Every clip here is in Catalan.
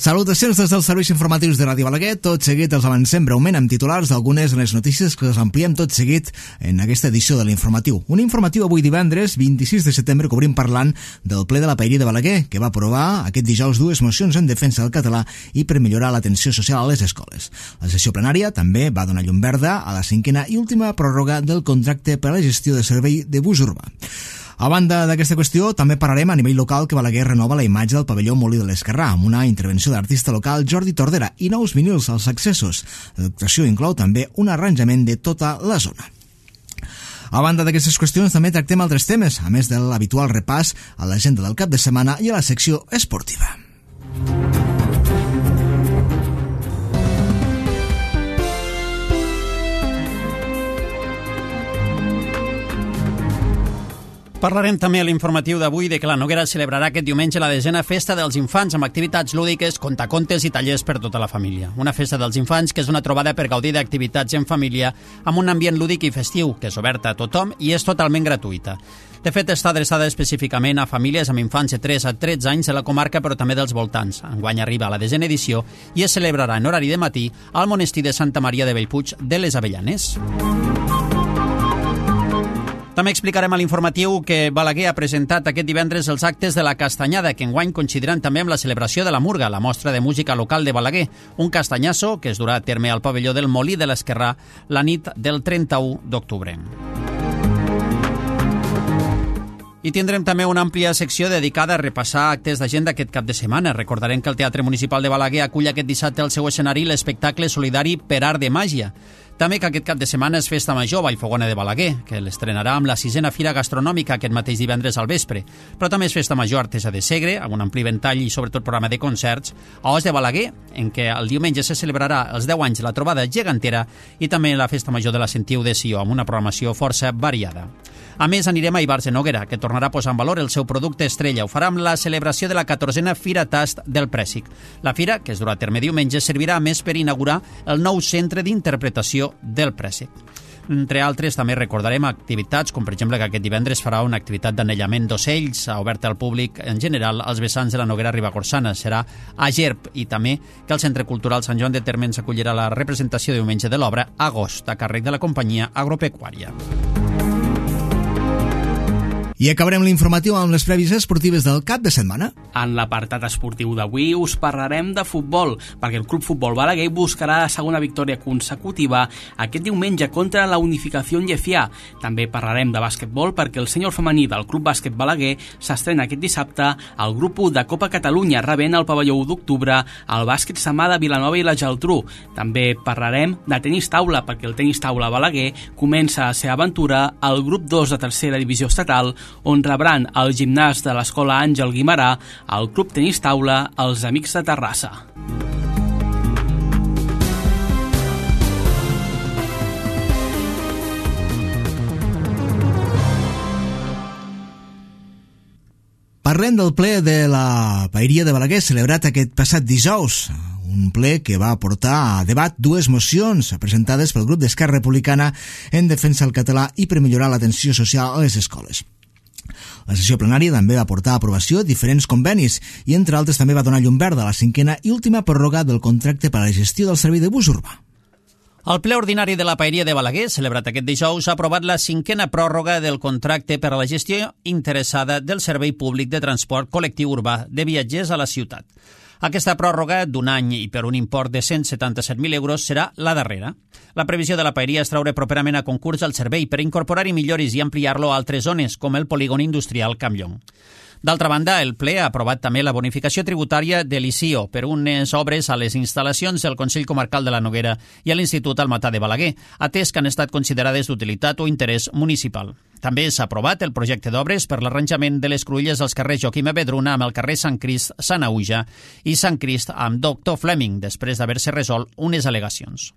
Salutacions des dels serveis informatius de Ràdio Balaguer. Tot seguit els avancem breument amb titulars d'algunes de les notícies que us ampliem tot seguit en aquesta edició de l'informatiu. Un informatiu avui divendres, 26 de setembre, que obrim parlant del ple de la Paeria de Balaguer, que va aprovar aquest dijous dues mocions en defensa del català i per millorar l'atenció social a les escoles. La sessió plenària també va donar llum verda a la cinquena i última pròrroga del contracte per a la gestió de servei de bus urbà. A banda d'aquesta qüestió, també parlarem a nivell local que Balaguer renova la imatge del pavelló Molí de l'Esquerrà amb una intervenció de l'artista local Jordi Tordera i nous vinils als accessos. L'actuació inclou també un arranjament de tota la zona. A banda d'aquestes qüestions, també tractem altres temes, a més de l'habitual repàs a l'agenda del cap de setmana i a la secció esportiva. Parlarem també a l'informatiu d'avui de que la Noguera celebrarà aquest diumenge la 10a Festa dels Infants amb activitats lúdiques, contacontes i tallers per tota la família. Una festa dels infants que és una trobada per gaudir d'activitats en família amb un ambient lúdic i festiu, que és oberta a tothom i és totalment gratuïta. De fet, està adreçada específicament a famílies amb infants de 3 a 13 anys de la comarca, però també dels voltants. Enguany arriba a la 10a edició i es celebrarà en horari de matí al monestir de Santa Maria de Bellpuig de les Avellanes. També explicarem a l'informatiu que Balaguer ha presentat aquest divendres els actes de la Castanyada, que enguany coincidiran també amb la celebració de la Murga, la mostra de música local de Balaguer, un castanyasso que es durà a terme al pavelló del Molí de l'Esquerrà la nit del 31 d'octubre. I tindrem també una àmplia secció dedicada a repassar actes d'agenda aquest cap de setmana. Recordarem que el Teatre Municipal de Balaguer acull aquest dissabte al seu escenari l'espectacle solidari Per Art de Màgia. També que aquest cap de setmana és Festa Major Vallfogona de Balaguer, que l'estrenarà amb la 6a Fira Gastronòmica aquest mateix divendres al vespre. Però també és Festa Major Artesa de Segre, amb un ampli ventall i sobretot programa de concerts, a Os de Balaguer, en què el diumenge se celebrarà els 10 anys de la trobada gegantera, i també la Festa Major de la Sentiu de Sió, amb una programació força variada. A més, anirem a Ivars de Noguera, que tornarà a posar en valor el seu producte estrella. Ho farà amb la celebració de la 14a Fira Tast del Prèssic. La fira, que es durà a terme diumenge, servirà a més per inaugurar el nou centre d'interpretació del Prèssic. Entre altres, també recordarem activitats, com per exemple que aquest divendres farà una activitat d'anellament d'ocells oberta al públic en general als vessants de la Noguera Ribagorçana. Serà a Gerb, i també que el Centre Cultural Sant Joan de Térmens acollirà la representació diumenge de l'obra Agost, a càrrec de la companyia agropecuària. I acabarem l'informatiu amb les prèvies esportives del cap de setmana. En l'apartat esportiu d'avui us parlarem de futbol, perquè el Club Futbol Balaguer buscarà la segona victòria consecutiva aquest diumenge contra la Unificació Llefià. També parlarem de bàsquetbol perquè el sènior femení del Club Bàsquet Balaguer s'estrena aquest dissabte al grup 1 de Copa Catalunya, rebent el pavelló 1 d'octubre al bàsquet Samà de Vilanova i la Geltrú. També parlarem de tenis taula, perquè el tenis taula Balaguer comença la seva aventura al grup 2 de tercera divisió estatal, on rebran el gimnàs de l'Escola Àngel Guimarà, el Club Tenis Taula, els Amics de Terrassa. Parlem del ple de la Paeria de Balaguer celebrat aquest passat dijous. Un ple que va portar a debat dues mocions presentades pel grup d'Esquerra Republicana en defensa del català i per millorar l'atenció social a les escoles. La sessió plenària també va portar a aprovació diferents convenis i, entre altres, també va donar llum verda a la cinquena i última pròrroga del contracte per a la gestió del servei de bus urbà. El ple ordinari de la Paeria de Balaguer, celebrat aquest dijous, ha aprovat la cinquena pròrroga del contracte per a la gestió interessada del servei públic de transport col·lectiu urbà de viatgers a la ciutat. Aquesta pròrroga d'un any i per un import de 177.000 euros serà la darrera. La previsió de la Paeria és traure properament a concurs el servei per incorporar-hi milloris i ampliar-lo a altres zones, com el polígon industrial Campllong. D'altra banda, el ple ha aprovat també la bonificació tributària de l'ICIO per unes obres a les instal·lacions del Consell Comarcal de la Noguera i a l'Institut Almatà de Balaguer, atès que han estat considerades d'utilitat o interès municipal. També s'ha aprovat el projecte d'obres per l'arranjament de les cruïlles als carrers Joaquim Avedruna amb el carrer Sant Crist, Sant Auja i Sant Crist amb Doctor Fleming, després d'haver-se resolt unes al·legacions.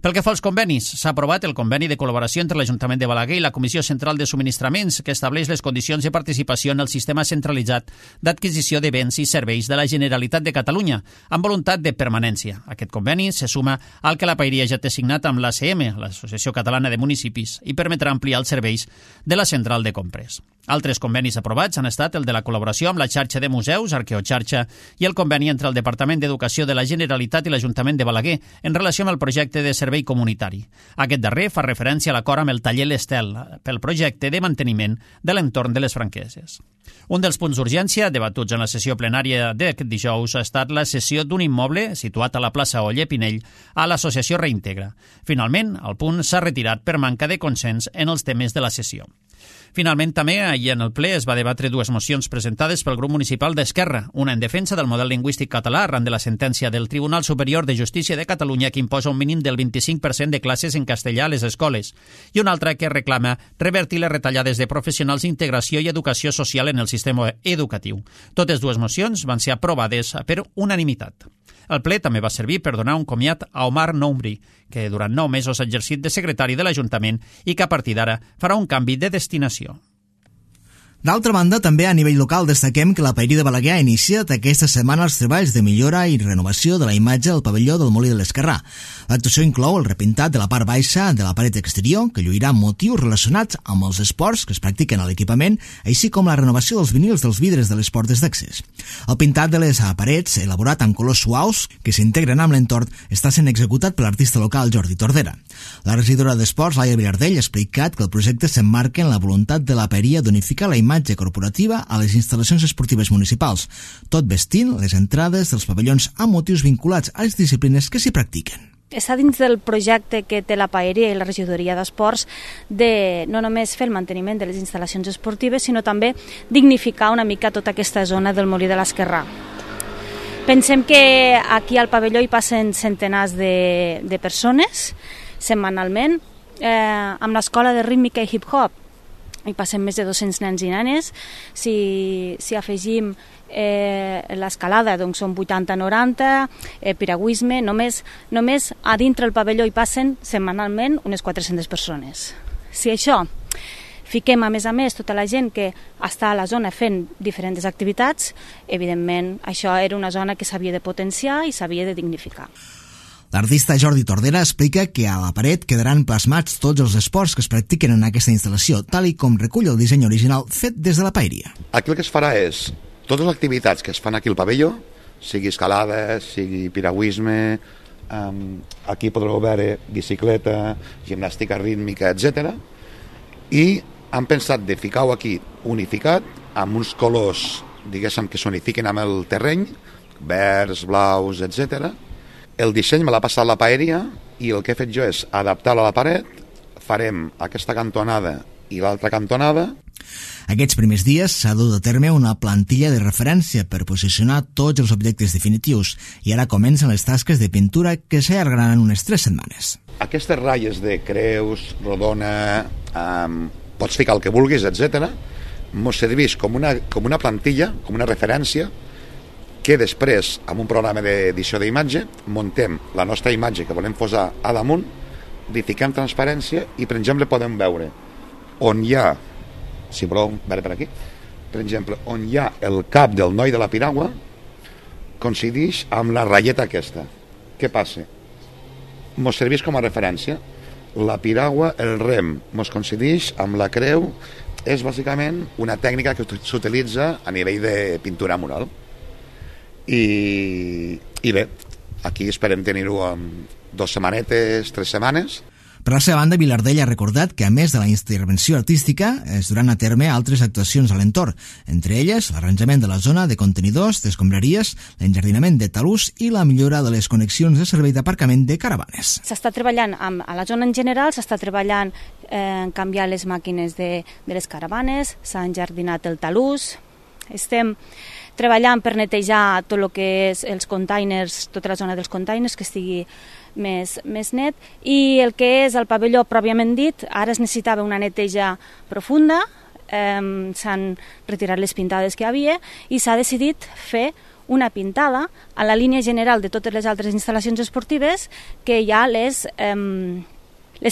Pel que fa als convenis, s'ha aprovat el conveni de col·laboració entre l'Ajuntament de Balaguer i la Comissió Central de Subministraments, que estableix les condicions de participació en el sistema centralitzat d'adquisició de béns i serveis de la Generalitat de Catalunya, amb voluntat de permanència. Aquest conveni se suma al que la Paeria ja té signat amb l'ACM, l'Associació Catalana de Municipis, i permetrà ampliar els serveis de la central de compres. Altres convenis aprovats han estat el de la col·laboració amb la xarxa de museus, Arqueoxarxa, i el conveni entre el Departament d'Educació de la Generalitat i l'Ajuntament de Balaguer en relació amb el projecte de servei comunitari. Aquest darrer fa referència a l'acord amb el taller L'Estel pel projecte de manteniment de l'entorn de les franqueses. Un dels punts d'urgència debatuts en la sessió plenària d'aquest dijous ha estat la cessió d'un immoble situat a la plaça Oller Pinell a l'associació Reintegra. Finalment, el punt s'ha retirat per manca de consens en els temes de la sessió. Finalment, també, ahir en el ple es va debatre dues mocions presentades pel grup municipal d'Esquerra, una en defensa del model lingüístic català arran de la sentència del Tribunal Superior de Justícia de Catalunya que imposa un mínim del 25% de classes en castellà a les escoles, i una altra que reclama revertir les retallades de professionals d'integració i educació social en el sistema educatiu. Totes dues mocions van ser aprovades per unanimitat. El ple també va servir per donar un comiat a Omar Noumri, que durant 9 mesos ha exercit de secretari de l'Ajuntament i que a partir d'ara farà un canvi de destinació. D'altra banda, també a nivell local destaquem que la Paeria de Balaguer ha iniciat aquesta setmana els treballs de millora i renovació de la imatge del pavelló del Molí de l'Esquerrà. L'actuació inclou el repintat de la part baixa de la paret exterior, que lluirà motius relacionats amb els esports que es practiquen a l'equipament, així com la renovació dels vinils dels vidres de les portes d'accés. El pintat de les parets, elaborat amb colors suaus que s'integren amb l'entorn, està sent executat per l'artista local Jordi Tordera. La regidora d'Esports, Laia Vilardell, ha explicat que el projecte s'emmarca en la voluntat de la Paeria d'unificar la imatge corporativa a les instal·lacions esportives municipals, tot vestint les entrades dels pavellons amb motius vinculats a les disciplines que s'hi practiquen. Està dins del projecte que té la Paeria i la regidoria d'Esports de no només fer el manteniment de les instal·lacions esportives, sinó també dignificar una mica tota aquesta zona del Molí de l'Esquerrà. Pensem que aquí al pavelló hi passen centenars de persones setmanalment, amb l'escola de rítmica i hip-hop hi passen més de 200 nens i nenes. Si afegim l'escalada, doncs són 80-90, piragüisme, només a dintre el pavelló hi passen setmanalment unes 400 persones. Si això fiquem a més tota la gent que està a la zona fent diferents activitats, evidentment això era una zona que s'havia de potenciar i s'havia de dignificar. L'artista Jordi Tordera explica que a la paret quedaran plasmats tots els esports que es practiquen en aquesta instal·lació, tal i com recull el disseny original fet des de la Paeria. Aquí el que es farà és, totes les activitats que es fan aquí al pavelló, sigui escalada, sigui piragüisme, aquí podreu veure bicicleta, gimnàstica rítmica, etc. I han pensat de ficar-ho aquí unificat, amb uns colors, diguéssim, que s'unifiquen amb el terreny, verds, blaus, etc. El disseny me l'ha passat la Paeria i el que he fet jo és adaptar-lo a la paret, farem aquesta cantonada i l'altra cantonada. Aquests primers dies s'ha dut a terme una plantilla de referència per posicionar tots els objectes definitius i ara comencen les tasques de pintura que s'allargaran unes 3 setmanes. Aquestes ratlles de creus, rodona, pots ficar el que vulguis, etc., mos serveix com una plantilla, com una referència, que després, amb un programa d'edició d'imatge, muntem la nostra imatge que volem posar a damunt, li fiquem transparència i, per exemple, podem veure on hi ha, si voleu veure per aquí, per exemple, on hi ha el cap del noi de la piragua, coincideix amb la ratlleta aquesta. Què passa? Mos serveix com a referència. La piragua, el rem, mos coincideix amb la creu, és bàsicament una tècnica que s'utilitza a nivell de pintura mural. I bé, aquí esperem tenir-ho en 2 setmanetes, 3 setmanes. Per la seva banda, Vilardell ha recordat que, a més de la intervenció artística, es duran a terme altres actuacions a l'entorn, entre elles l'arranjament de la zona de contenidors, d'escombraries, l'enjardinament de talús i la millora de les connexions de servei d'aparcament de caravanes. S'està treballant a la zona en general, s'està treballant en canviar les màquines de les caravanes, s'ha enjardinat el talús, estem treballant per netejar tot el que és els containers, tota la zona dels containers, que estigui més net, i el que és el pavelló pròpiament dit, ara es necessitava una neteja profunda, s'han retirat les pintades que hi havia i s'ha decidit fer una pintada a la línia general de totes les altres instal·lacions esportives que hi ha les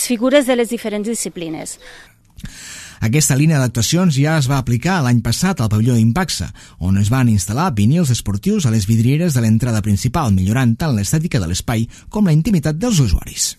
figures de les diferents disciplines. Aquesta línia d'actuacions ja es va aplicar l'any passat al pavelló Impaxa, on es van instal·lar vinils esportius a les vidrieres de l'entrada principal, millorant tant l'estètica de l'espai com la intimitat dels usuaris.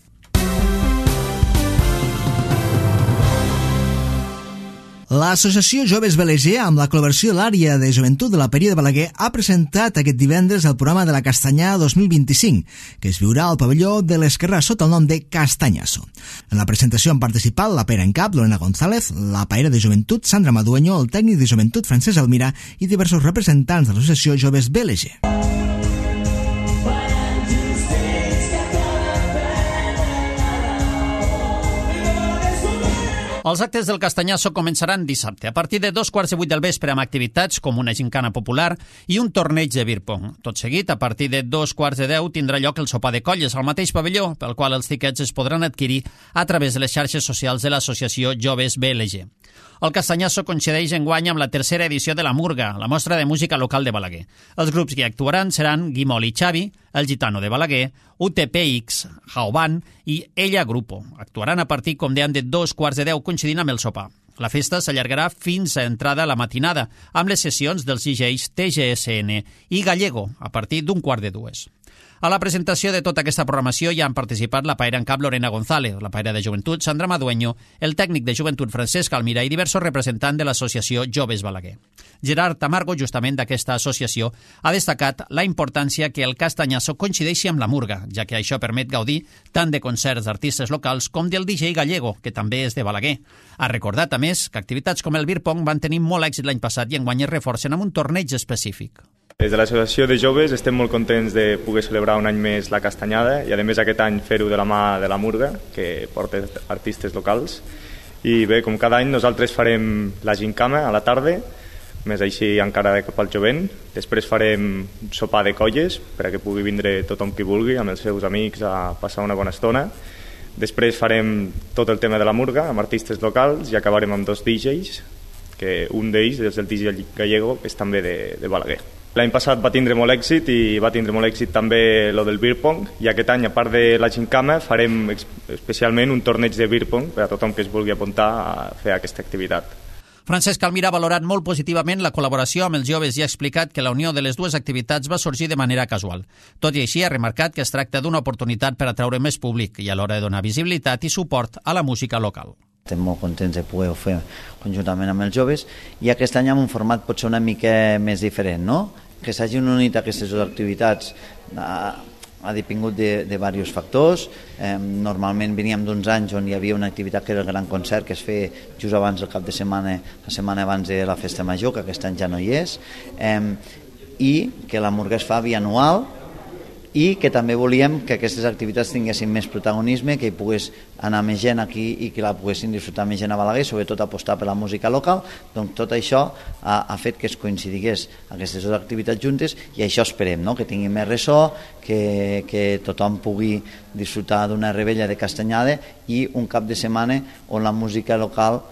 L'associació Joves BLG, amb la col·laboració de l'àrea de joventut de la Paeria de Balaguer, ha presentat aquest divendres el programa de la Castanyada 2025, que es viurà al pavelló de l'Esquerrà sota el nom de Castanyazo. En la presentació han participat la Paera en Cap, Lorena González, la Paera de Joventut, Sandra Madueño, el tècnic de joventut, Francesc Almira, i diversos representants de l'associació Joves BLG. Els actes del Castanyazo començaran dissabte, a partir de 7:15 del vespre, amb activitats com una gincana popular i un torneig de beer pong. Tot seguit, a partir de 9:45, tindrà lloc el sopar de colles al mateix pavelló, pel qual els tiquets es podran adquirir a través de les xarxes socials de l'associació Joves BLG. El Castanyazo coincideix enguany amb la tercera edició de la Murga, la mostra de música local de Balaguer. Els grups que hi actuaran seran Guimol i Xavi, El Gitano de Balaguer, UTPX, Jaoban i Ella Grupo. Actuaran a partir, com dèiem, de 9:15, coincidint amb el sopar. La festa s'allargarà fins a entrada a la matinada, amb les sessions dels DJs TGSN i Gallego, a partir d'1:15. A la presentació de tota aquesta programació hi han participat la Paera en Cap Lorena González, la Paera de Joventut Sandra Madueño, el tècnic de Joventut Francesc Almira i diversos representants de l'associació Joves Balaguer. Gerard Tamargo, justament d'aquesta associació, ha destacat la importància que el Castanyazo coincideixi amb la Murga, ja que això permet gaudir tant de concerts d'artistes locals com del DJ Gallego, que també és de Balaguer. Ha recordat, a més, que activitats com el beer pong van tenir molt èxit l'any passat i enguany es reforcen amb un torneig específic. Des de l'associació de joves estem molt contents de poder celebrar un any més la Castanyada i a més aquest any fer-ho de la mà de la Murga, que porta artistes locals. I bé, com cada any nosaltres farem la gincama a la tarda, més així encara cap al jovent. Després farem sopar de colles perquè pugui vindre tothom qui vulgui amb els seus amics a passar una bona estona. Després farem tot el tema de la Murga amb artistes locals i acabarem amb 2 DJs, que un d'ells és el DJ Gallego, que és també de Balaguer. L'any passat va tindre molt èxit i va tindre molt èxit també lo del beer pong, i aquest any, a part de la gincama, farem especialment un torneig de beer pong per a tothom que es vulgui apuntar a fer aquesta activitat. Francesc Almira ha valorat molt positivament la col·laboració amb els joves i ha explicat que la unió de les dues activitats va sorgir de manera casual. Tot i així, ha remarcat que es tracta d'una oportunitat per atraure més públic i alhora de donar visibilitat i suport a la música local. Estem molt contents de poder-ho fer conjuntament amb els joves i aquest any amb un format potser una mica més diferent, no? Que s'hagin unit aquestes dues activitats ha depengut de diversos factors. Normalment veníem d'uns anys on hi havia una activitat que era el gran concert, que es feia just abans del cap de setmana, la setmana abans de la festa major, que aquest any ja no hi és, i que la Murga es fa bianual, i que també volíem que aquestes activitats tinguessin més protagonisme, que hi pogués anar més gent aquí i que la poguessin disfrutar més gent a Balaguer, sobretot apostar per la música local. Doncs tot això ha fet que es coincidigués aquestes dues activitats juntes i això esperem, no? Que tingui més ressò, que tothom pugui disfrutar d'una rebella de Castanyada i un cap de setmana on la música local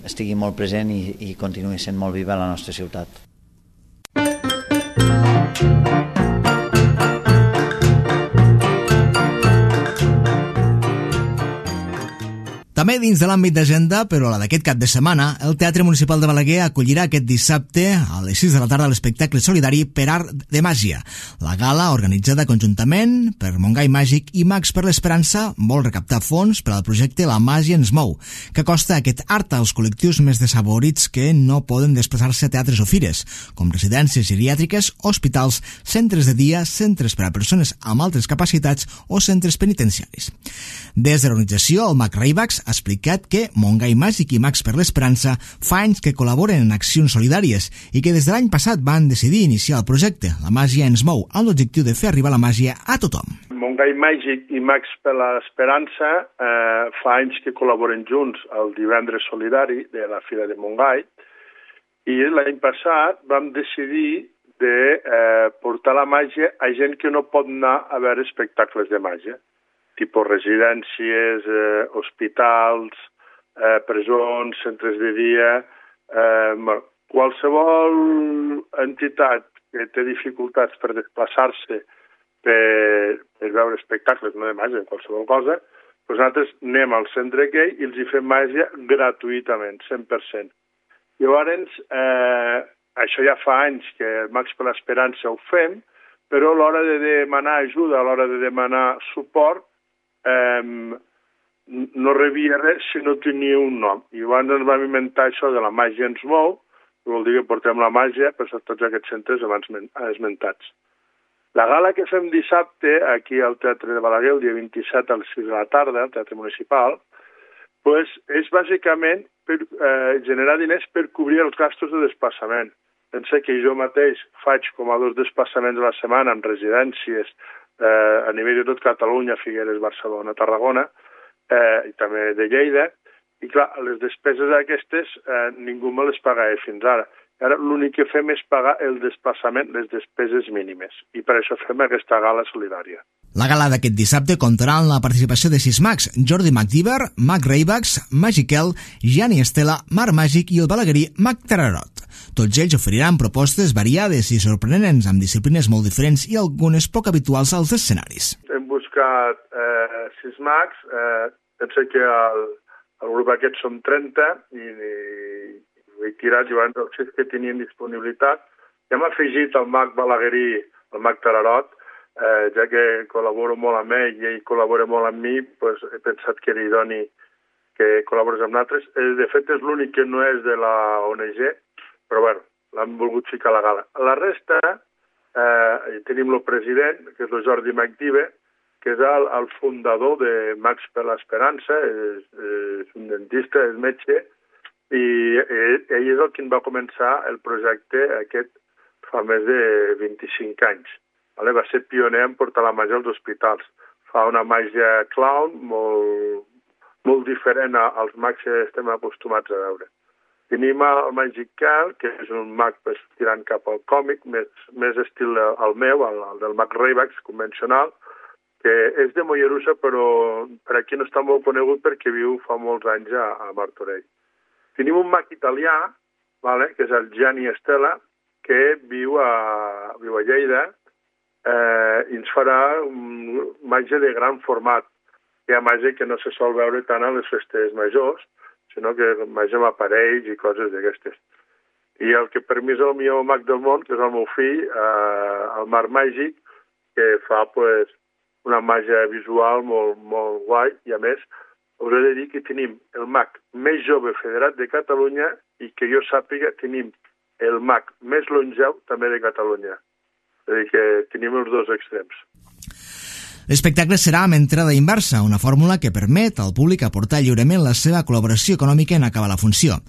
estigui molt present i continuï sent molt viva a la nostra ciutat. També dins de l'àmbit d'agenda, però la d'aquest cap de setmana, el Teatre Municipal de Balaguer acollirà aquest dissabte a les 6 de la tarda l'espectacle solidari Per Art de Màgia. La gala, organitzada conjuntament per Montgai Màgic i Mags per l'Esperança, vol recaptar fons per al projecte La Màgia ens mou, que acosta aquest art als col·lectius més desafavorits que no poden desplaçar-se a teatres o fires, com residències geriàtriques, hospitals, centres de dia, centres per a persones amb altres capacitats o centres penitenciaris. Des de l'organització, el Mag Raibax ha explicat que Montgai Màgic i Mags per l'Esperança fa anys que col·laboren en accions solidàries i que des de l'any passat van decidir iniciar el projecte La Màgia ens mou, amb l'objectiu de fer arribar la màgia a tothom. Montgai Màgic i Mags per l'Esperança fa anys que col·laboren junts al divendres solidari de la Fira de Montgai i l'any passat vam decidir de portar la màgia a gent que no pot anar a veure espectacles de màgia, tipus residències, hospitals, presons, centres de dia, qualsevol entitat que té dificultats per desplaçar-se per veure espectacles, no de màgia, qualsevol cosa, doncs nosaltres anem al centre aquell i els hi fem màgia gratuïtament, 100%. Llavors, això ja fa anys que el Mags per l'Esperança ho fem, però a l'hora de demanar ajuda, a l'hora de demanar suport, no rebia res si no tenia un nom. I abans ens vam inventar això de la màgia ens mou, que vol dir que portem la màgia per tots aquests centres abans esmentats. La gala que fem dissabte aquí al Teatre de Balaguer, el dia 27 a les 6 de la tarda, al Teatre Municipal, pues, és bàsicament per generar diners per cobrir els gastos de desplaçament. Pensa que jo mateix faig com a 2 desplaçaments a la setmana amb residències a nivell de tot Catalunya, Figueres, Barcelona, Tarragona, i també de Lleida, i clar, les despeses aquestes ningú me les pagava fins ara. Ara l'únic que fem és pagar el desplaçament, les despeses mínimes, i per això fem aquesta gala solidària. La gala d'aquest dissabte comptarà amb la participació de 6 mags: Jordi McDiver, Mag Reibax, Magiquel, Gianni Estela, Marc Màgic i el balaguerí Mag Tararot. Tots ells oferiran propostes variades i sorprenents amb disciplines molt diferents i algunes poc habituals als escenaris. Hem buscat 6 mags, penso que el grup aquest som 30 i he tirat llavors els 6 que tenien disponibilitat. Hem afegit el mag balaguerí, el mag Tararot, ja que col·laboro molt amb ell i ell col·labora molt amb mi, doncs he pensat que era idoni que col·laborés amb nosaltres. De fet, és l'únic que no és de la ONG, però bueno, l'hem volgut ficar a la gala. La resta, tenim el president, que és el Jordi McDiver, que és el fundador de Mags per l'Esperança, és un dentista, és metge, i ell és el que va començar el projecte aquest fa més de 25 anys. Va ser pioner en portar la màgia als hospitals. Fa una màgia clown molt diferent als mags que estem acostumats a veure. Tenim el Magic Cal, que és un mag tirant cap al còmic, més estil el meu, el del Mag Reibax convencional, que és de Mollerussa, però per aquí no està molt conegut perquè viu fa molts anys a Martorell. Tenim un mag italià, que és el Gianni Estela, que viu a Lleida, i ens farà màgia de gran format. Hi ha màgia que no se sol veure tant a les festes majors, sinó que màgia amb aparells i coses d'aquestes. I el que per mi és el millor mag del món, que és el meu fill, el Marc Màgic, que fa una màgia visual molt guai, i a més us he de dir que tenim el mag més jove federat de Catalunya i que jo sàpiga tenim el mag més longeu també de Catalunya. És a dir, que tenim els 2 extrems. L'espectacle serà amb entrada inversa, una fórmula que permet al públic aportar lliurement la seva col·laboració econòmica en acabar la funció.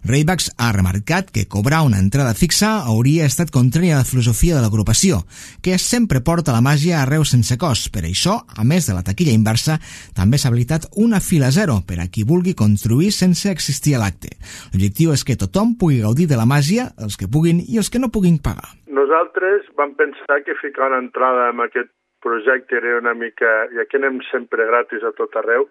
Reibax ha remarcat que cobrar una entrada fixa hauria estat contrària a la filosofia de l'agrupació, que sempre porta la màgia arreu sense cost. Per això, a més de la taquilla inversa, també s'ha habilitat una fila zero per a qui vulgui contribuir sense existir a l'acte. L'objectiu és que tothom pugui gaudir de la màgia, els que puguin i els que no puguin pagar. Nosaltres vam pensar que ficar una entrada en aquest projecte era una mica, ja que anem sempre gratis a tot arreu,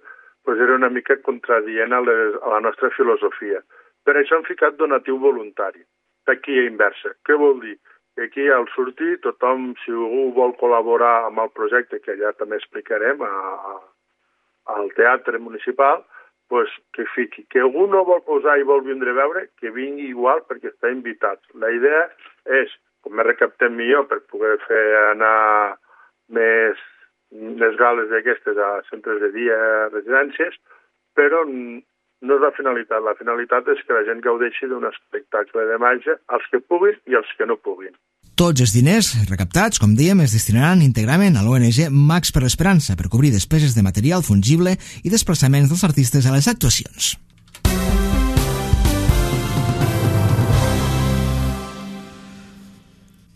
doncs era una mica contradient a la nostra filosofia. Per això hem ficat donatiu voluntari, taquilla inversa. Què vol dir? Que aquí al sortir tothom, si algú vol col·laborar amb el projecte, que ja també explicarem al Teatre Municipal, doncs que fiqui. Que algú no vol posar i vol vindre a veure, que vingui igual perquè està invitat. La idea és, com més recaptem millor per poder fer anar més gales d'aquestes a centres de dia, residències, però no és la finalitat. La finalitat és que la gent gaudeixi d'un espectacle de màgia, els que puguin i els que no puguin. Tots els diners recaptats, com dèiem, es destinaran íntegrament a l'ONG Mags per l'Esperança per cobrir despeses de material fungible i desplaçaments dels artistes a les actuacions.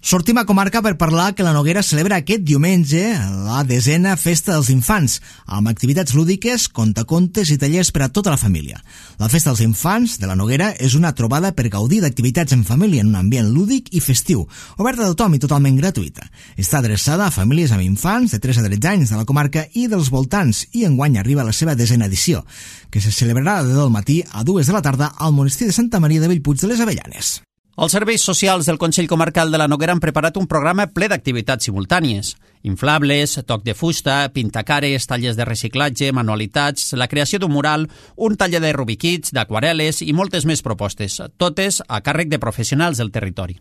Sortim a comarca per parlar que la Noguera celebra aquest diumenge la 10a Festa dels Infants, amb activitats lúdiques, contacontes i tallers per a tota la família. La Festa dels Infants de la Noguera és una trobada per gaudir d'activitats en família en un ambient lúdic i festiu, oberta a tothom i totalment gratuïta. Està adreçada a famílies amb infants de 3 a 13 anys de la comarca i dels voltants, i enguany arriba a la seva 10a edició, que se celebrarà de 10 del matí a 2 de la tarda al monestir de Santa Maria de Bellpuig de les Avellanes. Els serveis socials del Consell Comarcal de la Noguera han preparat un programa ple d'activitats simultànies. Inflables, toc de fusta, pintacares, tallers de reciclatge, manualitats, la creació d'un mural, un taller de rubiquits, d'aquarel·les i moltes més propostes, totes a càrrec de professionals del territori.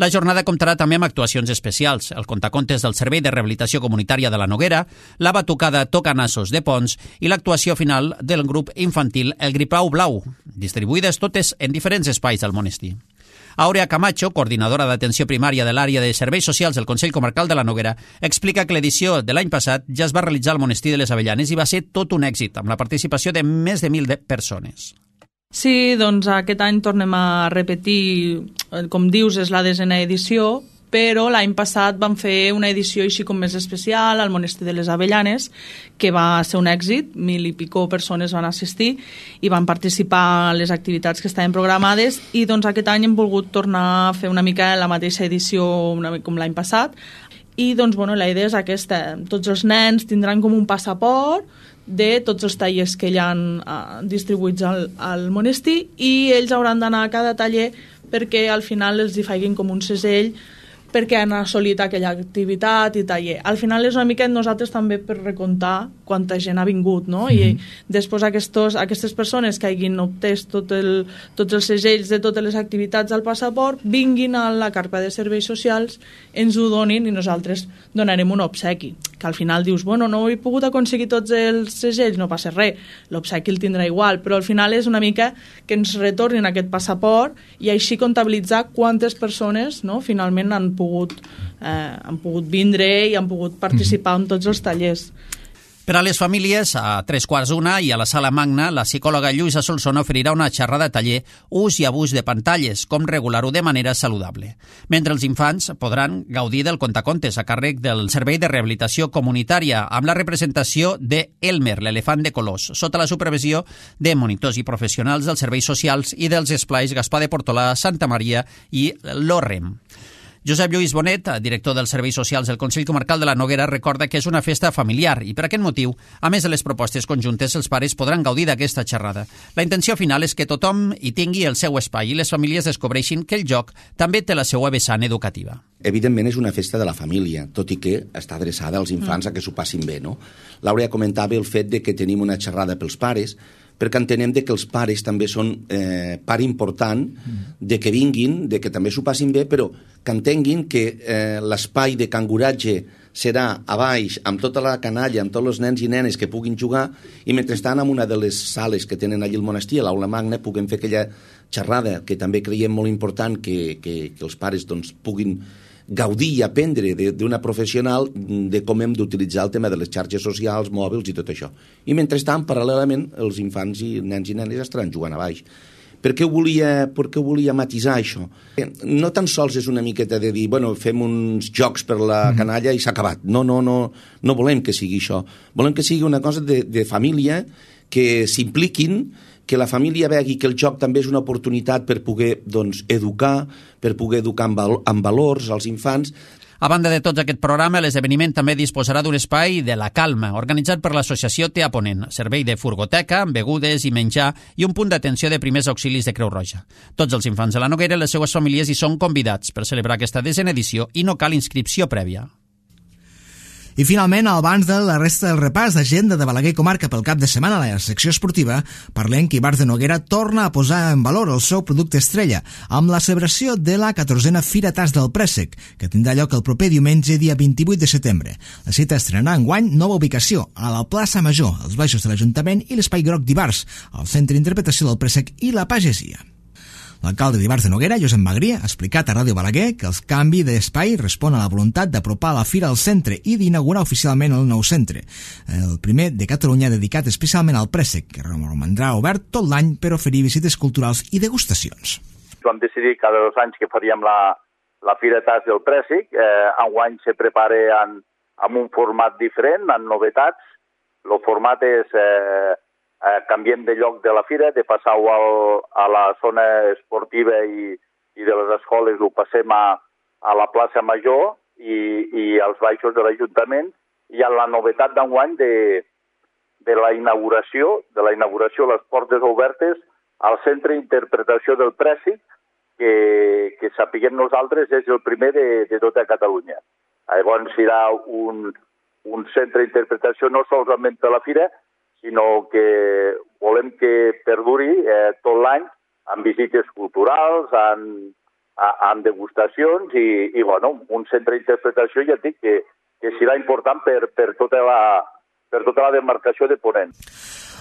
La jornada comptarà també amb actuacions especials, el contacontes del Servei de Rehabilitació Comunitària de la Noguera, la batucada Tocanassos de Pons i l'actuació final del grup infantil El Gripau Blau, distribuïdes totes en diferents espais del monestir. Àurea Camacho, coordinadora d'atenció primària de l'àrea de serveis socials del Consell Comarcal de la Noguera, explica que l'edició de l'any passat ja es va realitzar al monestir de les Avellanes i va ser tot un èxit, amb la participació de més de 1.000 persones. Sí, doncs aquest any tornem a repetir, com dius, és la 10ª edició, però l'any passat vam fer una edició així com més especial al monestir de les Avellanes, que va ser un èxit, 1.000 i pico persones van assistir i van participar en les activitats que estaven programades, i doncs aquest any hem volgut tornar a fer una mica la mateixa edició com l'any passat, i doncs bueno, la idea és aquesta, tots els nens tindran com un passaport de tots els tallers que hi ha distribuïts al monestir, i ells hauran d'anar a cada taller perquè al final els hi facin com un segell perquè han assolit aquella activitat i taller. Al final és una mica nosaltres també per recomptar quanta gent ha vingut, no? I després aquestes persones que hagin obtès tots els segells de totes les activitats al passaport vinguin a la carpa de serveis socials, ens ho donin i nosaltres donarem un obsequi, que al final dius, bueno, no he pogut aconseguir tots els segells, no passa res, l'obsequi el tindrà igual, però al final és una mica que ens retornin aquest passaport i així comptabilitzar quantes persones, no, finalment han pogut vindre i han pogut participar en tots els tallers. Per a les famílies, a 3:15 i a la Sala Magna, la psicòloga Lluïsa Solsona oferirà una xerrada taller ús i abús de pantalles, com regular-ho de manera saludable. Mentre els infants podran gaudir del contacontes a càrrec del Servei de Rehabilitació Comunitària amb la representació de Elmer, l'elefant de colors, sota la supervisió de monitors i professionals dels serveis socials i dels esplais Gaspar de Portolà, Santa Maria i l'Orrem. Josep Lluís Bonet, director dels Serveis Socials del Consell Comarcal de la Noguera, recorda que és una festa familiar i per aquest motiu, a més de les propostes conjuntes, els pares podran gaudir d'aquesta xerrada. La intenció final és que tothom hi tingui el seu espai i les famílies descobreixin que el joc també té la seva vessant educativa. Evidentment és una festa de la família, tot i que està adreçada als infants a que s'ho passin bé, no? L'Àurea comentava el fet de que tenim una xerrada pels pares, perquè entenem que els pares també són part important de que vinguin, de que també s'ho passin bé, però que entenguin que l'espai de canguratge serà a baix, amb tota la canalla, amb tots els nens i nenes que puguin jugar, i mentrestant en una de les sales que tenen allí al monestir, a l'Aula Magna, puguem fer aquella xerrada, que també creiem molt important que els pares doncs, puguin gaudir i aprendre d'una professional de com hem d'utilitzar el tema de les xarxes socials, mòbils i tot això. I mentrestant, paral·lelament, els infants i nens i nenes estaran jugant a baix. Per què volia matisar això? No tan sols és una miqueta de dir, bueno, fem uns jocs per la canalla i s'ha acabat. No volem que sigui això. Volem que sigui una cosa de família, que s'impliquin, que la família vegi que el joc també és una oportunitat per poder educar, per poder educar amb valors als infants. A banda de tot aquest programa, l'esdeveniment també disposarà d'un espai de la calma, organitzat per l'associació TEA Ponent, servei de furgoteca, begudes i menjar i un punt d'atenció de primers auxilis de Creu Roja. Tots els infants de la Noguera i les seues famílies hi són convidats per celebrar aquesta 10ª edició i no cal inscripció prèvia. I finalment, abans de la resta del repàs d'agenda de Balaguer i Comarca pel cap de setmana a la secció esportiva, parlem que Ibars de Noguera torna a posar en valor el seu producte estrella amb la celebració de la 14a Fira Tas del Préssec, que tindrà lloc el proper diumenge, dia 28 de setembre. La cita estrenarà enguany nova ubicació, a la plaça Major, als baixos de l'Ajuntament i l'Espai Groc d'Ibars, al Centre d'Interpretació del Préssec i la Pagesia. L'alcalde d'Ibars de Noguera, Josep Magrí, ha explicat a Ràdio Balaguer que el canvi d'espai respon a la voluntat d'apropar la fira al centre i d'inaugurar oficialment el nou centre, el primer de Catalunya dedicat especialment al préssec, que romandrà obert tot l'any per oferir visites culturals i degustacions. Vam decidir cada 2 anys que faríem la Fira Tas del Préssec. Enguany se prepara amb un format diferent, amb novetats. El format és... canviem de lloc de la fira, de passar-ho a la zona esportiva i de les escoles ho passem a la plaça Major i als baixos de l'Ajuntament, i la novetat d'enguany de la inauguració, les portes obertes al Centre d'Interpretació del Préssec, que sapiguem nosaltres és el primer de tota Catalunya. Llavors serà un centre d'interpretació no solament per la fira, sinó que volem que perduri tot l'any amb visites culturals, amb degustacions i bueno, un centre d'interpretació, ja dic, que serà important per tota la demarcació de Ponent.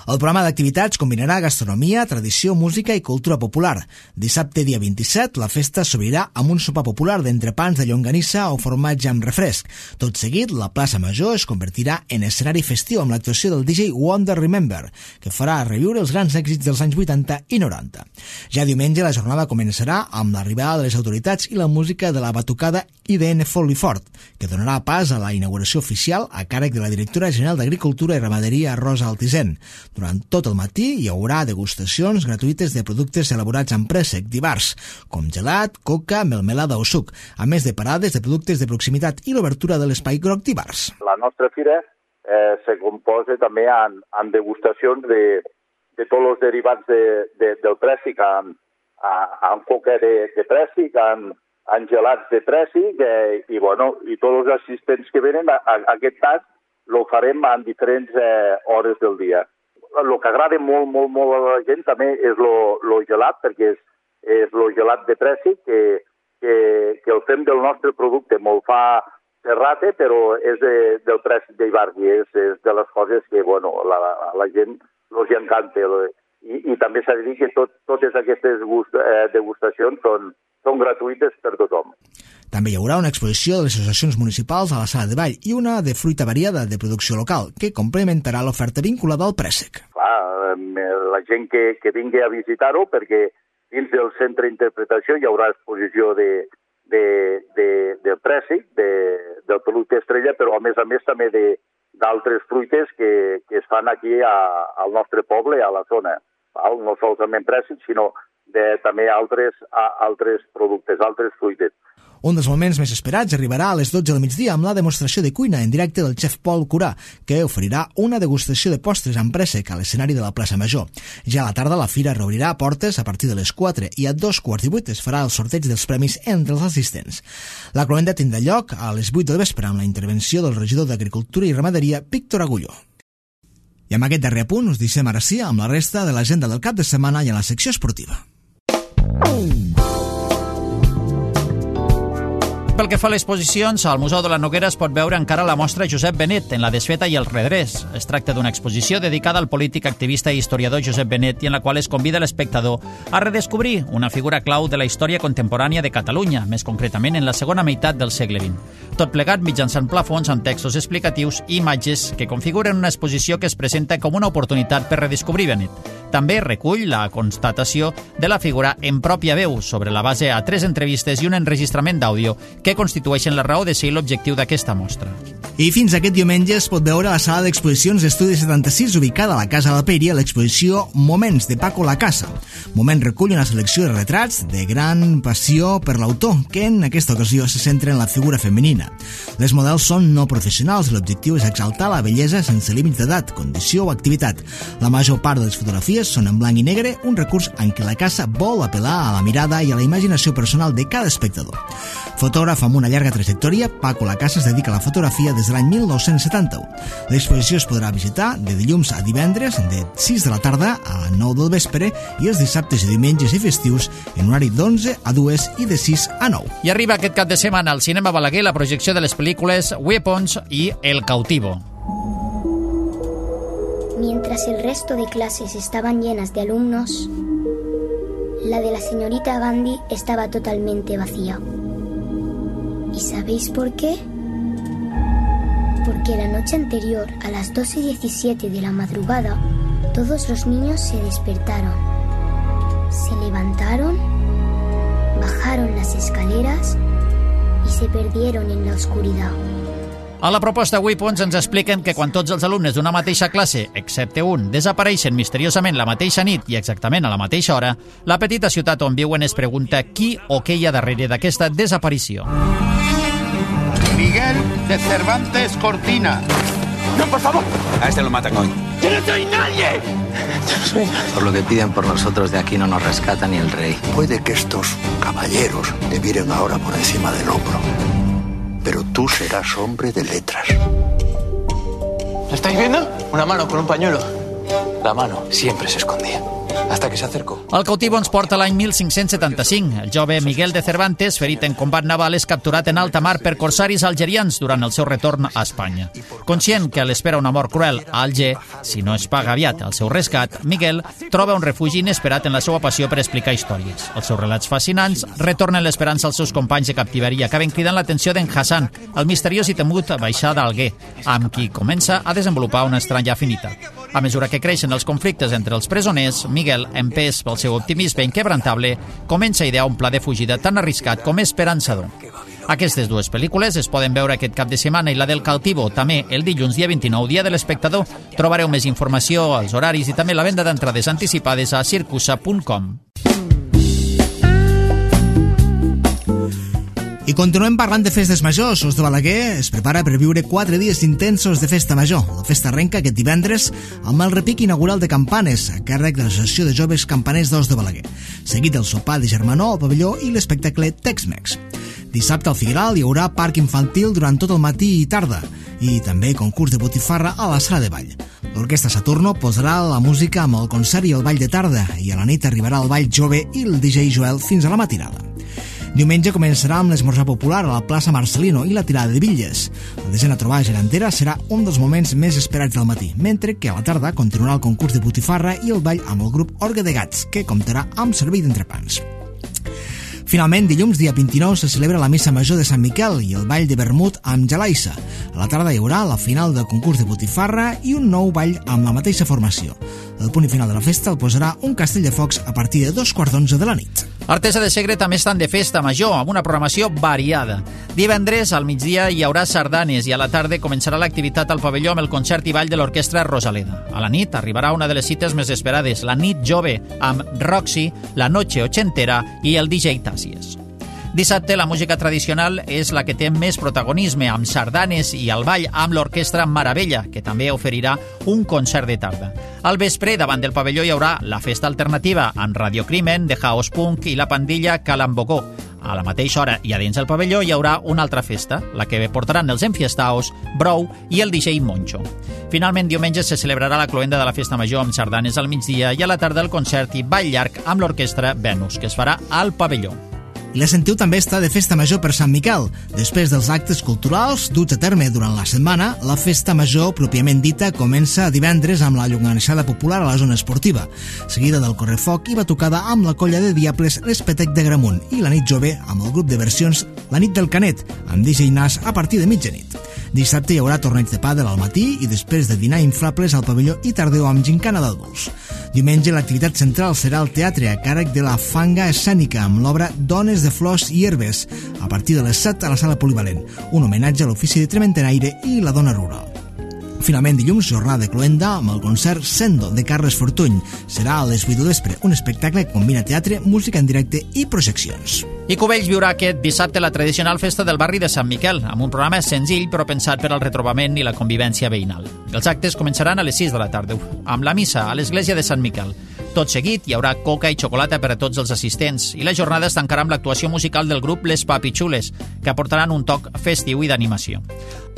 El programa d'activitats combinarà gastronomia, tradició, música i cultura popular. Dissabte, dia 27, la festa s'obrirà amb un sopar popular d'entrepans de llonganissa o formatge amb refresc. Tot seguit, la plaça Major es convertirà en escenari festiu amb l'actuació del DJ Wonder Remember, que farà reviure els grans èxits dels anys 80 i 90. Ja diumenge, la jornada començarà amb l'arribada de les autoritats i la música de la batucada IDN Folifort, que donarà pas a la inauguració oficial a càrrec de la directora general d'Agricultura i Ramaderia, Rosa Altisent. Durant tot el matí hi haurà degustacions gratuïtes de productes elaborats amb préssec divers, com gelat, coca, melmelada o suc, a més de parades de productes de proximitat i l'obertura de l'espai groc divers. La nostra fira se composa també en degustacions de tots els derivats del préssec, amb coca de préssec, amb gelats de préssec i tots els assistents que venen, en aquest cas, ho farem en diferents hores del dia. El que agrada molt a la gent també és el gelat, perquè és el gelat de préssec, que el fem del nostre producte. Molt fa serrate, però és del préssec d'Ibargi. És de les coses que la gent els encanta. I també s'ha de dir que totes aquestes degustacions són gratuïtes per tothom. També hi haurà una exposició de les associacions municipals a la sala de ball i una de fruita variada de producció local, que complementarà l'oferta vinculada al préssec. Clar, la gent que vingui a visitar-ho, perquè dins del centre d'interpretació hi haurà exposició del préssec, del producte estrella, però a més també d'altres fruites que es fan aquí al nostre poble, a la zona. No solament préssec, sinó també altres productes, altres fruites. Un dels moments més esperats arribarà a les 12 del migdia amb la demostració de cuina en directe del xef Pol Curà, que oferirà una degustació de postres amb préssec a l'escenari de la plaça Major. Ja a la tarda la fira reobrirà portes a partir de les 4 i a 2:15 es farà el sorteig dels premis entre els assistents. La cloenda tindrà lloc a les 8 del vespre amb la intervenció del regidor d'Agricultura i Ramaderia, Víctor Agulló. I amb aquest darrer punt us deixem ara sí amb la resta de l'agenda del cap de setmana i a la secció esportiva. Pel que fa a les exposicions, al Museu de la Noguera es pot veure encara la mostra Josep Benet en la desfeta i el redrés. Es tracta d'una exposició dedicada al polític, activista i historiador Josep Benet i en la qual es convida l'espectador a redescobrir una figura clau de la història contemporània de Catalunya, més concretament en la segona meitat del segle XX. Tot plegat mitjançant plafons amb textos explicatius i imatges que configuren una exposició que es presenta com una oportunitat per redescobrir Benet. També recull la constatació de la figura en pròpia veu sobre la base a 3 entrevistes i un enregistrament d'àudio que constitueixen la raó de ser i l'objectiu d'aquesta mostra. I fins aquest diumenge es pot veure a la sala d'exposicions d'Estudi 76 ubicada a la Casa de la Peiria l'exposició Moments de Paco Lacasa. Moment recull una selecció de retrats de gran passió per l'autor, que en aquesta ocasió se centra en la figura femenina. Les models són no professionals i l'objectiu és exaltar la bellesa sense límits d'edat, condició o activitat. La major part de les fotografies són en blanc i negre, un recurs en què Lacasa vol apel·lar a la mirada i a la imaginació personal de cada espectador. Fotògraf amb una llarga trajectòria, Paco Lacasa es dedica a la fotografia des de l'any 1971. L'exposició es podrà visitar de dilluns a divendres de 6 de la tarda a 9 del vespre i els dissabtes i diumenges i festius en horari d'11 a 2 i de 6 a 9. I arriba aquest cap de setmana al Cinema Balaguer la projecció de les pel·lícules Weapons i El Cautivo. Mientras el resto de clases estaban llenas de alumnos, la de la señorita Gandhi estaba totalmente vacía. ¿Y sabéis por qué? Porque la noche anterior, a las 12:17 de la madrugada, todos los niños se despertaron, se levantaron, bajaron las escaleras y se perdieron en la oscuridad. A la proposta Weapons ens expliquen que quan tots els alumnes d'una mateixa classe, excepte un, desapareixen misteriosament la mateixa nit i exactament a la mateixa hora, la petita ciutat on viuen es pregunta qui o què hi ha darrere d'aquesta desaparició. Miguel de Cervantes Cortina. ¡No, por favor! A este lo matan hoy. ¡Yo no soy nadie! Por lo que piden por nosotros, de aquí no nos rescata ni el rey. Puede que estos caballeros te miren ahora por encima del hombro, pero tú serás hombre de letras. ¿Lo estáis viendo? Una mano con un pañuelo. La mano siempre se escondía, hasta que se acercó. El cautivo ens porta l'any 1575. El jove Miguel de Cervantes, ferit en combat naval, és capturat en alta mar per corsaris algerians durant el seu retorn a Espanya. Conscient que l'espera una mort cruel a Alger, si no es paga aviat el seu rescat, Miguel troba un refugi inesperat en la seva passió per explicar històries. Els seus relats fascinants retornen l'esperança als seus companys de captiveria, acaben cridant l'atenció d'en Hassan, el misteriós i temut baixà d'Alguer, amb qui comença a desenvolupar una estranya afinitat. A mesura que creixen els conflictes entre els presoners, Miguel, empès pel seu optimisme inquebrantable, comença a idear un pla de fugida tan arriscat com esperançador. Aquestes dues pel·lícules es poden veure aquest cap de setmana i la del cautivo també el dilluns dia 29, dia de l'espectador. Trobareu més informació, els horaris i també la venda d'entrades anticipades a circusa.com. I continuem parlant de festes majors. Os de Balaguer es prepara per viure 4 dies intensos de festa major. La festa arrenca aquest divendres amb el repic inaugural de campanes a càrrec de l'Associació de Joves Campaners d'Os de Balaguer, seguit del sopar de germanor al pavelló i l'espectacle Tex-Mex. Dissabte al Figueral hi haurà parc infantil durant tot el matí i tarda i també concurs de botifarra a la sala de ball. L'Orquestra Saturno posarà la música amb el concert i el ball de tarda i a la nit arribarà el ball jove i el DJ Joel fins a la matinada. Diumenge començarà amb l'esmorzar popular a la plaça Marcelino i la tirada de bitlles. La desena trobada gegantera serà un dels moments més esperats del matí, mentre que a la tarda continuarà el concurs de botifarra i el ball amb el grup Orgue de Gats, que comptarà amb servei d'entrepans. Finalment, dilluns, dia 29, se celebra la Missa Major de Sant Miquel i el ball de vermut amb Jalaissa. A la tarda hi haurà la final del concurs de botifarra i un nou ball amb la mateixa formació. El punt final de la festa el posarà un castell de focs a partir de 2:15 de la nit. Artesa de Segre també estan de festa major, amb una programació variada. Divendres, al migdia, hi haurà sardanes i a la tarda començarà l'activitat al pavelló amb el concert i ball de l'Orquestra Rosaleda. A la nit arribarà una de les cites més esperades, la nit jove, amb Roxy, la noche ochentera i el DJ Tàcies. Dissabte, la música tradicional és la que té més protagonisme, amb sardanes i el ball amb l'Orquestra Maravella, que també oferirà un concert de tarda. Al vespre, davant del pavelló, hi haurà la festa alternativa amb Radio Crimen, de House Punk i la pandilla Calambocó. A la mateixa hora i a dins del pavelló hi haurà una altra festa, la que portaran els enfiestaos, Brou i el DJ Moncho. Finalment, diumenge se celebrarà la cloenda de la festa major amb sardanes al migdia i a la tarda el concert i ball llarg amb l'Orquestra Venus, que es farà al pavelló. I la Sentiu també està de festa major per Sant Miquel. Després dels actes culturals duts a terme durant la setmana, la festa major, pròpiament dita, comença divendres amb la llonganissada popular a la zona esportiva, seguida del correfoc i batucada amb la colla de Diables l'Espetec de Gramunt i la nit jove amb el grup de versions La nit del Canet, amb DJ Nas a partir de mitjanit. Dissabte hi haurà torneig de pàdel al matí i després de dinar inflables al pavelló i tardeu amb gincana d'adults. Diumenge l'activitat central serà el teatre a càrrec de la Fanga Escènica amb l'obra Dones de flors i herbes a partir de les 7 a la sala polivalent, un homenatge a l'ofici de trementenaire i la dona rural. Finalment, dilluns, jornada de cloenda amb el concert Sendo de Carles Fortuny. Serà a les 8 de vespre, un espectacle que combina teatre, música en directe i projeccions. I Cubells viurà aquest dissabte la tradicional festa del barri de Sant Miquel, amb un programa senzill però pensat per al retrobament i la convivència veïnal. Els actes començaran a les 6 de la tarda, amb la missa a l'església de Sant Miquel. Tot seguit hi haurà coca i xocolata per a tots els assistents i la jornada es tancarà amb l'actuació musical del grup Les Papitxules, que aportaran un toc festiu i d'animació.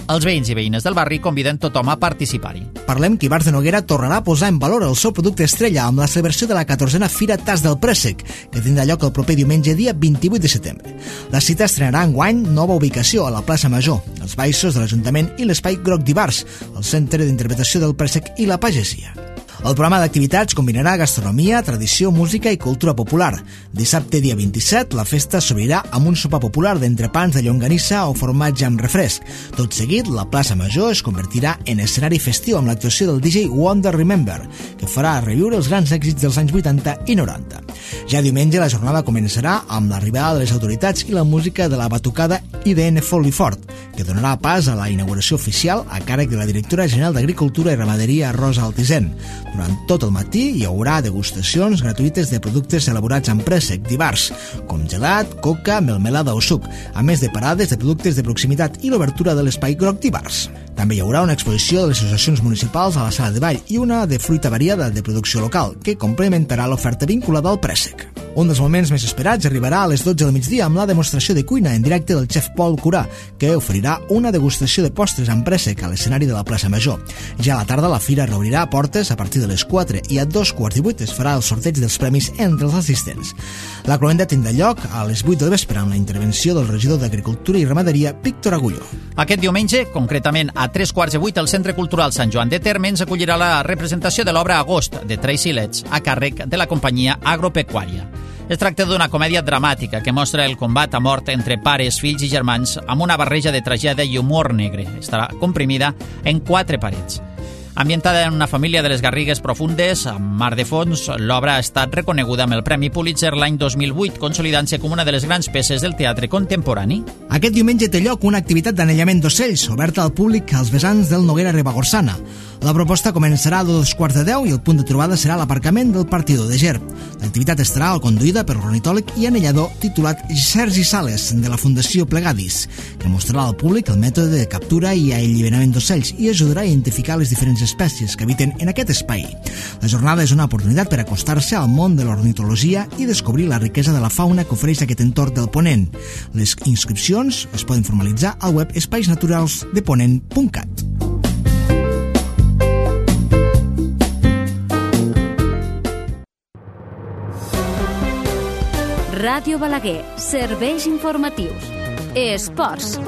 Els veïns i veïnes del barri conviden tothom a participar-hi. Parlem que Ibars de Noguera tornarà a posar en valor el seu producte estrella amb la celebració de la 14a Fira Tas del Préssec, que tindrà lloc el proper diumenge dia 28 de setembre. La cita estrenarà enguany nova ubicació a la plaça Major, els baixos de l'Ajuntament i l'Espai Groc d'Ibars, el centre d'interpretació del préssec i la pagesia. El programa d'activitats combinarà gastronomia, tradició, música i cultura popular. Dissabte, dia 27, la festa s'obrirà amb un sopar popular d'entrepans de llonganissa o formatge amb refresc. Tot seguit, la plaça Major es convertirà en escenari festiu amb l'actuació del DJ Wonder Remember, que farà reviure els grans èxits dels anys 80 i 90. Ja diumenge, la jornada començarà amb l'arribada de les autoritats i la música de la batucada IDN Folifort, que donarà pas a la inauguració oficial a càrrec de la directora general d'Agricultura i Ramaderia, Rosa Altisent. Durant tot el matí hi haurà degustacions gratuïtes de productes elaborats amb préssec divars, com gelat, coca, melmelada o suc, a més de parades de productes de proximitat i l'obertura de l'espai groc divars. També hi haurà una exposició de les associacions municipals a la sala de ball i una de fruita variada de producció local, que complementarà l'oferta vinculada al préssec. Un dels moments més esperats arribarà a les 12 del migdia amb la demostració de cuina en directe del xef Pol Curà, que oferirà una degustació de postres amb préssec a l'escenari de la plaça Major. Ja a la tarda la fira reobrirà portes a partir de les 4 i a 2:15 es farà el sorteig dels premis entre els assistents. La cloenda tindrà lloc a les 8 del vespre amb la intervenció del regidor d'Agricultura i Ramaderia, Víctor Agulló. Aquest diumenge, concretament a 7:45, el Centre Cultural Sant Joan de Térmens acollirà la representació de l'obra Agost, de Tracy Letts, a càrrec de la companyia agropecuària. Es tracta d'una comèdia dramàtica que mostra el combat a mort entre pares, fills i germans amb una barreja de tragèdia i humor negre. Estarà comprimida en 4 parets. Ambientada en una família de les Garrigues profundes, amb mar de fons, l'obra ha estat reconeguda amb el Premi Pulitzer l'any 2008, consolidant-se com una de les grans peces del teatre contemporani. Aquest diumenge té lloc una activitat d'anellament d'ocells, oberta al públic als vessants del Noguera Ribagorçana. La proposta començarà a 2:15 i el punt de trobada serà l'aparcament del Partidor de Ger. L'activitat estarà conduïda per l'ornitòleg i anellador titulat Sergi Sales, de la Fundació Plegadis, que mostrarà al públic el mètode de captura i alliberament d'ocells i ajudarà a identificar les diferents espècies que habiten en aquest espai. La jornada és una oportunitat per acostar-se al món de l'ornitologia i descobrir la riquesa de la fauna que ofereix aquest entorn del Ponent. Les inscripcions es poden formalitzar al web espaisnaturalsdeponent.cat. Ràdio Balaguer, serveis informatius. Esports.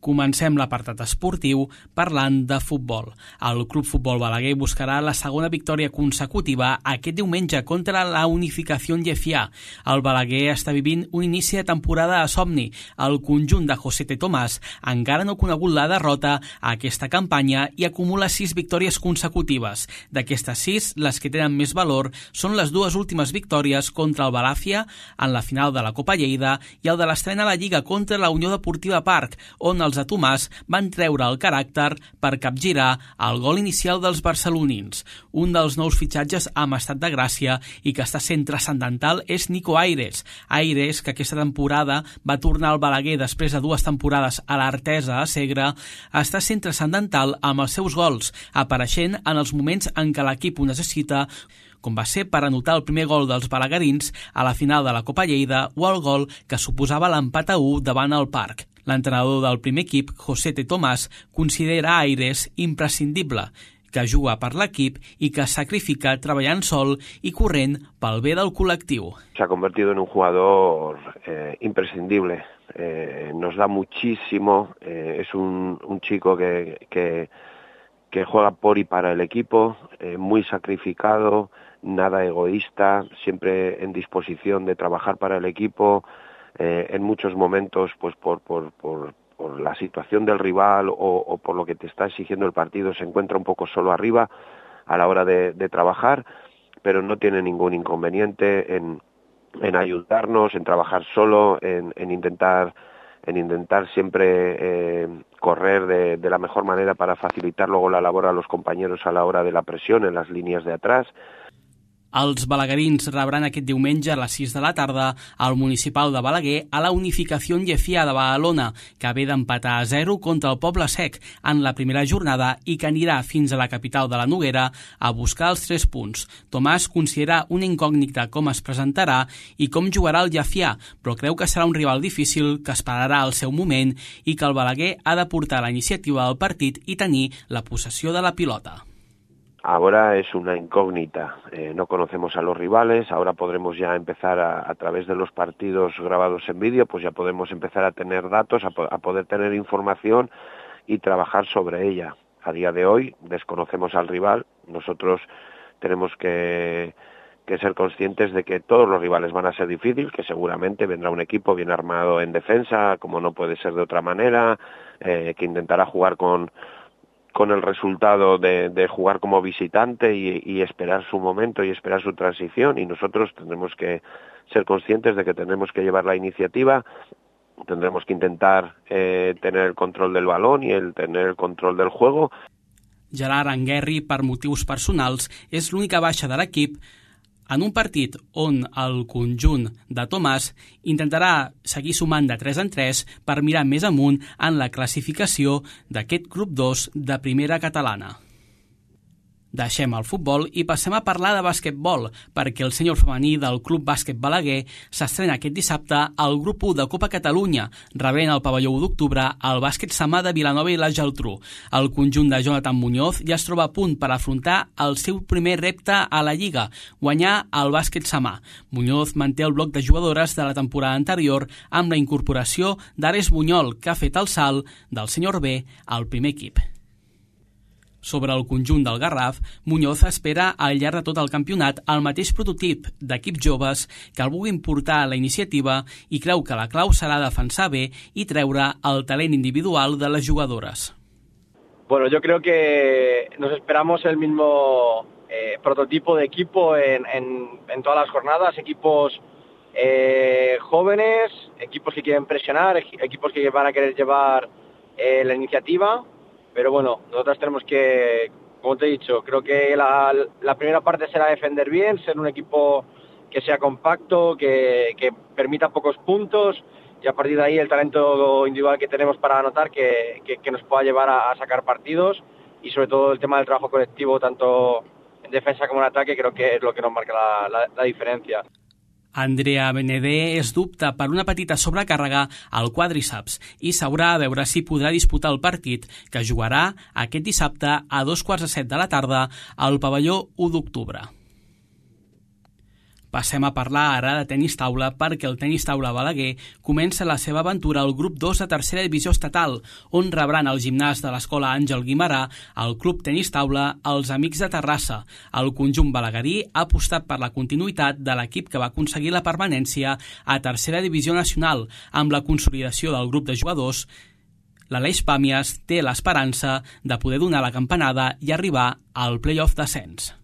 Comencem l'apartat esportiu parlant de futbol. El Club Futbol Balaguer buscarà la segona victòria consecutiva aquest diumenge contra la Unificació Llefià. El Balaguer està vivint un inici de temporada a somni. El conjunt de Josete Tomàs encara no ha conegut la derrota a aquesta campanya i acumula 6 victòries consecutives. D'aquestes 6, les que tenen més valor són les 2 últimes victòries contra el Balàfia en la final de la Copa Lleida i el de l'estrena a la Lliga contra la Unió Deportiva Parc, on els de Tomàs van treure el caràcter per capgirar el gol inicial dels barcelonins. Un dels nous fitxatges amb estat de gràcia i que està sent transcendental és Nico Aires. Aires, que aquesta temporada va tornar al Balaguer després de 2 temporades a l'Artesa a Segre, està sent transcendental amb els seus gols, apareixent en els moments en què l'equip ho necessita, com va ser per anotar el primer gol dels balaguerins a la final de la Copa Lleida o el gol que suposava l'empat a 1 davant el Parc. L'entrenador del primer equip, Josete Tomàs, considera Aires imprescindible, que juga per l'equip i que sacrifica treballant sol i corrent pel bé del col·lectiu. Se ha convertido en un jugador imprescindible. Nos da muchísimo. Es un chico que juega por y para el equipo, muy sacrificado, nada egoísta, siempre en disposición de trabajar para el equipo. En muchos momentos, pues por la situación del rival o por lo que te está exigiendo el partido, se encuentra un poco solo arriba a la hora de trabajar, pero no tiene ningún inconveniente en ayudarnos, en trabajar solo, en intentar siempre correr de la mejor manera para facilitar luego la labor a los compañeros a la hora de la presión en las líneas de atrás. Els balaguerins rebran aquest diumenge a les 6 de la tarda al Municipal de Balaguer a la Unificació Llefià de Badalona, que ve d'empatar a 0 contra el Poble Sec en la primera jornada i que anirà fins a la capital de la Noguera a buscar els 3 punts. Tomàs considera una incògnita com es presentarà i com jugarà el Llefià, però creu que serà un rival difícil, que esperarà el seu moment i que el Balaguer ha de portar la iniciativa del partit i tenir la possessió de la pilota. Ahora es una incógnita, no conocemos a los rivales, ahora podremos ya empezar a través de los partidos grabados en vídeo, pues ya podemos empezar a tener datos, a poder tener información y trabajar sobre ella. A día de hoy desconocemos al rival, nosotros tenemos que ser conscientes de que todos los rivales van a ser difíciles, que seguramente vendrá un equipo bien armado en defensa, como no puede ser de otra manera, que intentará jugar con el resultado de jugar como visitante y esperar su momento y esperar su transición, y nosotros tendremos que ser conscientes de que tendremos que llevar la iniciativa, tendremos que intentar tener el control del balón y tener el control del juego. Gerard Anguerri, per motius personals, és l'única baixa de l'equip en un partit on el conjunt de Tomàs intentarà seguir sumant de 3 en 3 per mirar més amunt en la classificació d'aquest grup 2 de primera catalana. Deixem el futbol i passem a parlar de bàsquetbol, perquè el sènior femení del Club Bàsquet Balaguer s'estrena aquest dissabte al grup 1 de Copa Catalunya, rebent al pavelló 1 d'octubre el Bàsquet Samà de Vilanova i la Geltrú. El conjunt de Jonathan Muñoz ja es troba a punt per afrontar el seu primer repte a la Lliga, guanyar el Bàsquet Samà. Muñoz manté el bloc de jugadores de la temporada anterior amb la incorporació d'Ares Bunyol, que ha fet el salt del sènior B al primer equip. Sobre el conjunt del Garraf, Muñoz espera al llarg de tot el campionat el mateix prototip d'equips joves que el vulguin portar a la iniciativa i creu que la clau serà defensar bé i treure el talent individual de les jugadores. Bueno, yo creo que nos esperamos el mismo prototipo de equipo en todas las jornadas, equipos jóvenes, equipos que quieren presionar, equipos que van a querer llevar la iniciativa. Pero bueno, nosotros tenemos que, como te he dicho, creo que la primera parte será defender bien, ser un equipo que sea compacto, que permita pocos puntos y a partir de ahí el talento individual que tenemos para anotar que nos pueda llevar a sacar partidos y sobre todo el tema del trabajo colectivo, tanto en defensa como en ataque, creo que es lo que nos marca la diferencia. Andrea Benedé es dubta per una petita sobrecàrrega al quàdriceps i s'haurà de veure si podrà disputar el partit que jugarà aquest dissabte a 7:15 de la tarda al pavelló 1 d'octubre. Passem a parlar ara de tenis taula perquè el tenis taula Balaguer comença la seva aventura al grup 2 de tercera divisió estatal, on rebran el gimnàs de l'escola Àngel Guimarà, el club tenis taula Els Amics de Terrassa. El conjunt balaguerí ha apostat per la continuïtat de l'equip que va aconseguir la permanència a tercera divisió nacional. Amb la consolidació del grup de jugadors, l'Aleix Pàmies té l'esperança de poder donar la campanada i arribar al play-off d'ascens.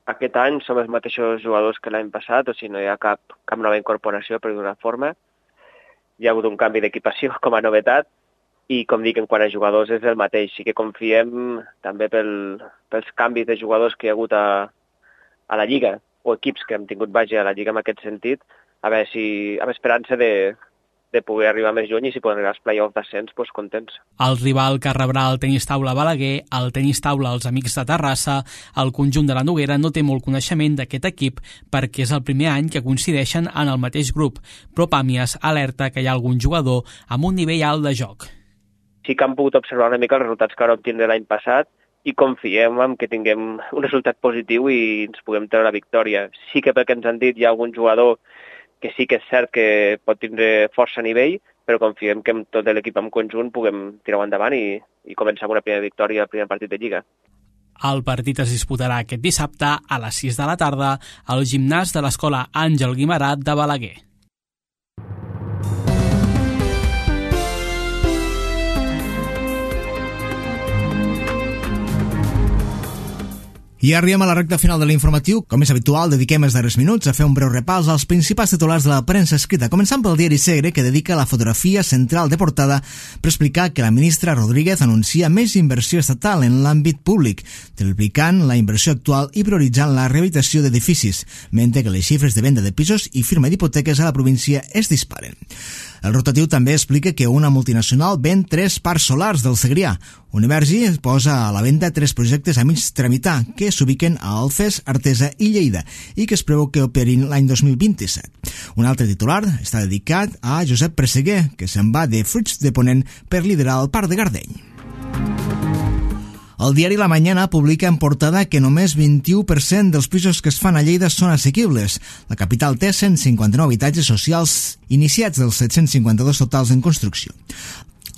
Aquest any som els mateixos jugadors que l'any passat, o sigui, no hi ha cap nova incorporació, per d'una forma. Hi ha hagut un canvi d'equipació com a novetat i, com dic, en quant a jugadors és el mateix. Sí que confiem també pels canvis de jugadors que hi ha hagut a la Lliga, o equips que hem tingut vaja a la Lliga en aquest sentit, a veure si amb esperança de poder arribar més lluny i si poden arribar als play-off d'ascens, doncs contents. El rival que rebrà el tenis taula Balaguer, el tenis taula Els Amics de Terrassa, el conjunt de la Noguera no té molt coneixement d'aquest equip perquè és el primer any que coincideixen en el mateix grup, però Pàmies alerta que hi ha algun jugador amb un nivell alt de joc. Sí que han pogut observar una mica els resultats que vam obtenir l'any passat i confiem en que tinguem un resultat positiu i ens puguem treure la victòria. Sí que pel que ens han dit hi ha algun jugador que sí que és cert que pot tindre força nivell, però confiem que amb tot l'equip en conjunt puguem tirar-ho endavant i començar amb una primera victòria al primer partit de Lliga. El partit es disputarà aquest dissabte a les 6 de la tarda al gimnàs de l'escola Àngel Guimarà de Balaguer. I arribem a la recta final de l'informatiu. Com és habitual, dediquem els darrers minuts a fer un breu repàs als principals titulars de la premsa escrita, començant pel diari Segre, que dedica la fotografia central de portada per explicar que la ministra Rodríguez anuncia més inversió estatal en l'àmbit públic, triplicant la inversió actual i prioritzant la rehabilitació d'edificis, mentre que les xifres de venda de pisos i firma d'hipoteques a la província es disparen. El rotatiu també explica que una multinacional ven 3 parcs solars del Segrià. Univergi posa a la venda 3 projectes a mig tramitar que s'ubiquen a Alfés, Artesa i Lleida i que es preveu que operin l'any 2027. Un altre titular està dedicat a Josep Presseguer, que se'n va de Fruits de Ponent per liderar el Parc de Gardeny. El diari La Mañana publica en portada que només 21% dels pisos que es fan a Lleida són assequibles. La capital té 159 habitatges socials iniciats dels 752 totals en construcció.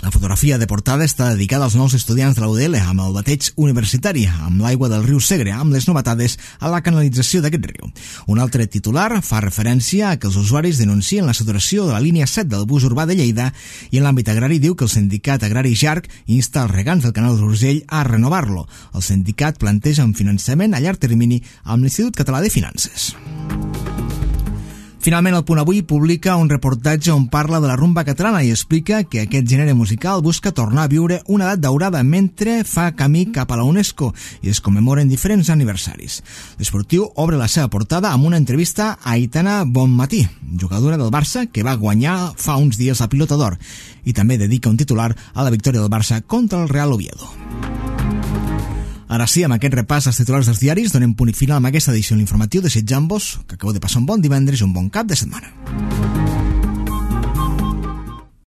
La fotografia de portada està dedicada als nous estudiants de la UDL amb el bateig universitari, amb l'aigua del riu Segre, amb les novetades a la canalització d'aquest riu. Un altre titular fa referència a que els usuaris denuncien la saturació de la línia 7 del bus urbà de Lleida i en l'àmbit agrari diu que el sindicat agrari JARC insta els regants del canal d'Urgell a renovar-lo. El sindicat planteja un finançament a llarg termini amb l'Institut Català de Finances. Finalment, el Punt Avui publica un reportatge on parla de la rumba catalana i explica que aquest gènere musical busca tornar a viure una edat daurada mentre fa camí cap a la UNESCO i es commemoren diferents aniversaris. L'Esportiu obre la seva portada amb una entrevista a Aitana Bonmatí, jugadora del Barça que va guanyar fa uns dies la Pilota d'Or, i també dedica un titular a la victòria del Barça contra el Real Oviedo. Ara sí, amb aquest repàs als titulars dels diaris, donem punt i final amb aquesta edició de l'informatiu. Desitjant-vos que acabeu de passar un bon divendres i un bon cap de setmana.